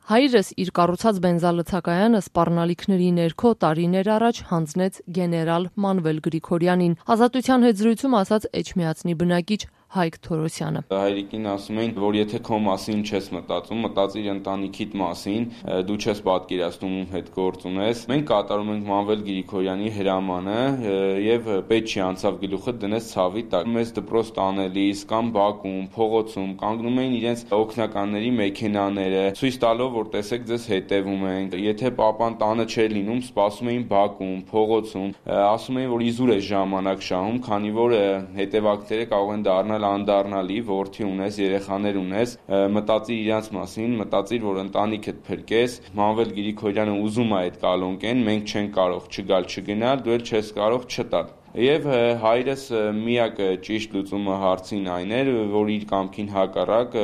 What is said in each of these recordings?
Հայրս իր կառուցած բենզալցակայանը սպառնալիքների ներքո տարիներ առաջ հանձնեց գեներալ Մանվել Գրիգորյանին, Ազատության հետ զրույցում ասաց Էջմիածնի բնակիչ Հայկ Թորոսյանը։ Հայրիկին ասում էին, որ եթե քո մասին չես մտածում, մտածիր ընտանիքիդ մասին, դու չես պատկերացնում ում հետ գործ ունես։ Մենք կատարում ենք Մանվել Գրիգորյանի հրամանը եւ պետք չի անցավ գլուխը դնես ցավի տակ։ Մեզ դպրոց տանելիս կամ բակում, փողոցում կանգնում էին իրենց օգնականների մեքենաները, ցույց տալով, որ տեսեք ձեզ հետևում ենք։ Եթե պապան տանը չէր լինում, սպասում էին բակում, փողոցում, ասում էին, որ իզուր է ժամանակ շահում, քանի որ հետևակները կարող են դառնալ անդառնալի, որդի ունես, երեխաներ ունես, մտածիր իրանց մասին, մտածիր, որ ընտանիքդ փրկես։ Մանվել Գրիգորյանը ուզում է այդ կալոնկեն, մենք չենք կարող չգալ չգնալ, դու էլ չես կարող չտալ։ Եվ հայրս միակ ճիշտ լուծումը հարցին այն էր, որ իր կամքին հակառակ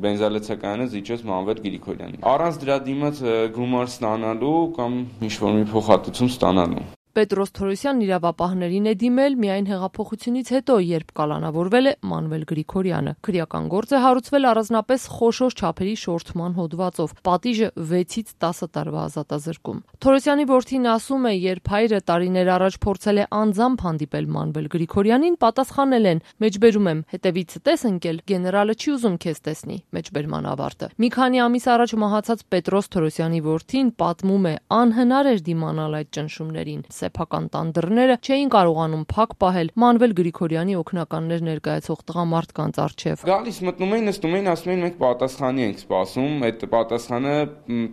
բենզալցակայանը զիջեց Մանվել Գրիգորյանին։ Առանց դրա դիմաց գումար ստանալու կամ ինչ-որ մի փոխհատուցում ստանալու։ Պետրոս Թորոսյանն իրավապահներին է դիմել միայն հեղափոխությունից հետո, երբ կալանավորվել է Մանվել Գրիգորյանը։ Քրեական գործ է հարուցվել առանձնապես խոշոր չափերի շորթման հոդվածով, պատիժը 6-ից 10 տարվա ազատազրկում։ Թորոսյանի որդին ասում է, երբ հայրը տարիներ առաջ փորձել է անձամբ հանդիպել Մանվել Գրիգորյանին, պատասխանել են. «Մեջբերում եմ, հետևից տես ընկել, գեներալը չի ուզում քեզ տեսնի»։ Մեջբերման ավարտը։ Մի քանի ամիս առաջ մահացած Պետրոս Թորոսյանի որդին պատմում է, անհնար էր դիմանալ այդ ճնշումներին։ Սեփական տան դռները չէին կարողանում փակ պահել Մանվել Գրիգորյանի օգնականներ ներկայացող տղամարդկանց առջև։ Գալիս մտնում էին, նստում էին, ասում էին մենք պատասխանի ենք սպասում, այդ պատասխանը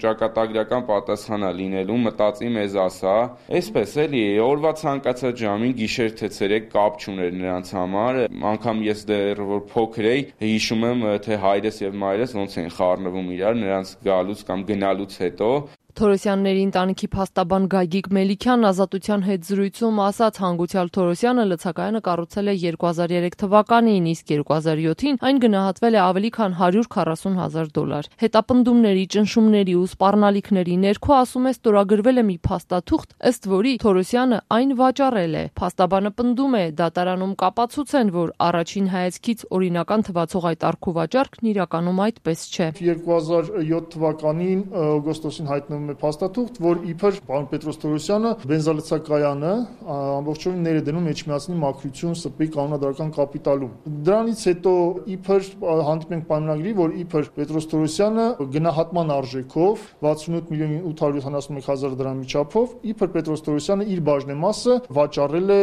ճակատագրական պատասխան է լինելու, մտածի մեզ ասա։ Այսպես էլի, օրվա ցանկացած ժամին գիշեր թե ցերեկ կապ չուներ նրանց համար, անգամ ես դեռ որ փոքր էի, հիշում եմ, թե հայրս եւ մայրս ոնց են խառնվում իրար նրանց գալուց կամ գնալուց հետո։ Թորոսյանների ընտանիքի փաստաբան Գագիկ Մելիքյանն Ազատության հետ զրույցում ասաց, հանգուցյալ Թորոսյանը լցակայանը կառուցել է 2003 թվականին, իսկ 2007-ին այն գնահատվել է ավելի քան $140,000։ Հետապնդումների, ճնշումների ու սպառնալիքների ներքո, ասում է, ստորագրվել է մի փաստաթուղթ, ըստ որի Թորոսյանը այն վաճառել է։ Փաստաբանը պնդում է, դատարանում կապացուց են, որ առաջին հայացքից օրինական թվացող այդ առքուվաճառքն իրականում այդպես չէ։ 2007 թվականին օգոստոսին հայտնվում փաստաթուղթ, որ իբր պարոն Պետրոս Թորոսյանը բենզալցակայանը ամբողջովին ներդնում Էջմիածնի մաքրություն ՍՊ-ի կանոնադրական կապիտալում։ Դրանից հետո իբր հանդիպում ենք պայմանագրի, որ իբր Պետրոս Թորոսյանը գնահատման արժեքով 68,871,000 դրամի չափով իբր Պետրոս Թորոսյանը իր բաժնեմասը վաճառել է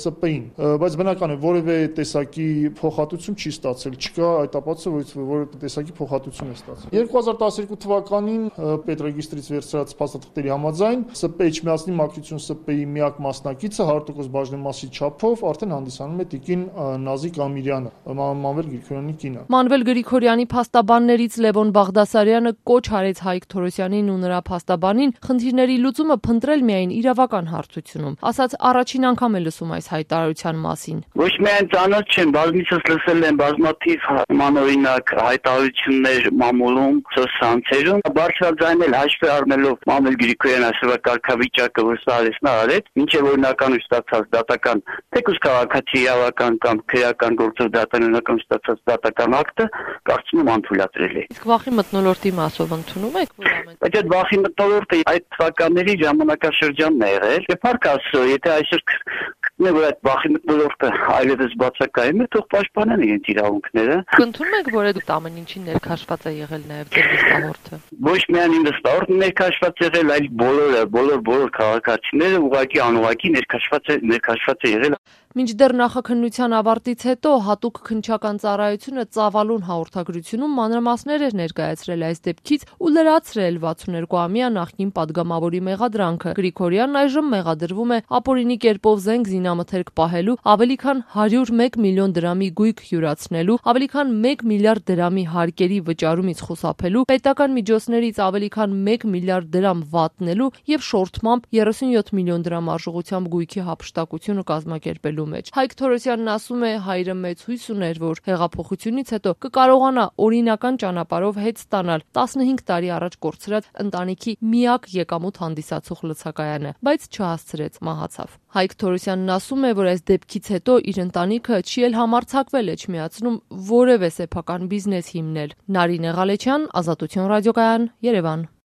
ՍՊ-ին, բայց բնական է որևէ տեսակի փոխհատուցում չի ստացել, չկա այդ ապացույց, որ որևէ տեսակի փոխհատուցում է ստացել։ 2012 թվականին պետրեգիստրից վերցրած փաստաթղթերի համաձայն ՍՊ Էջմիածնի մաքրություն ՍՊ-ի միակ մասնակիցը 100% բաժնեմասի չափով արդեն հանդիսանում է տիկին Նազիկ Ամիրյանը, Մանվել Գրիգորյանի կինը։ Մանվել Գրիգորյանի փաստաբաններից Լևոն Բաղդասարյանը կոչ արեց Հայկ Թորոսյանին ու նրա փաստաբանին խնդիրների լուծումը փնտրել միայն իրավական հարթությունում։ Ասաց, առաջին անգամ է լսում այս հայտարարության մասին։ Ոչ միայն ծանոթ չեմ, բազմիցս լսել եմ բազմաթիվ մանօրինակ հայտարարություններ մամուլում, սոցցանցերում, բարձրաձայնել հաշվի առնելով Մանվել Գրիգորյանի այսօրվա կարգավիճակը, որ սա արեց, մինչև օրինական ստացած դատական, թեկուզ քաղաքացի իրավական կամ քրեական գործով դատարանական ստացած դատական ակտը կարծում եմ անթույլատրել է։ Իսկ վախի մթնոլորտի մասով ընդունում եք, որ ամեն։ Բայց այդ վախի մթնոլորտը այդ թվականների ժամանակաշրջանն է եղել։ Եվ փառք Աստծո, եթե այսօր որ այդ վախի մթնոլորտը այլևս բացակայում է, թող պաշտպանեն իրենց իրավունքները։ Կընդունում եք, որ այդ ամեն ինչին ներքաշված է եղել նաև ձեր վստահորդը։ Ոչ միայն իմ վստահորդը ներքաշված եղել, այլ բոլոր քաղաքացիները ուղղակի անուղղակի ներքաշված է եղել։ Մինչդեռ նախաքննության ավարտից հետո հատուկ քննչական ծառայությունը ծավալուն հաղորդագրությունում մանրամասներ էր ներկայացրել այս դեպքից ու լրացրել 62-ամյա նախկին падգամավորի մեղադրանքը։ Գրիգորյանն այժմ մեղադրվում է ապօրինի կերպով զենք զինամթերք պահելու, ավելի քան 101 միլիոն դրամի գույք յուրացնելու, ավելի քան 1 միլիարդ դրամի հարկերի վճարումից խուսափելու, պետական միջոցներից ավելի քան 1 միլիարդ դրամ վատնելու եւ շորթմամբ 37 միլիոն դրամ արժողությամբ գույքի հափշտակությունը կազմակերպելու մեջ։ Հայկ Թորոսյանն ասում է, հայրը մեծ հույս ուներ, որ հեղափոխությունից հետո կկարողանա օրինական ճանապարհով հետ ստանալ 15 տարի առաջ կորցրած ընտանիքի միակ եկամուտ հանդիսացող լցակայանը, բայց չհասցրեց, մահացավ։ Հայկ Թորոսյանն ասում է, որ այս դեպքից հետո իր ընտանիքը չի էլ համարձակվել է չմիացնում որևէ սեփական բիզնես հիմնել։ Նարինե Ղալեչյան, Ազատություն ռադիոկայան, Երևան։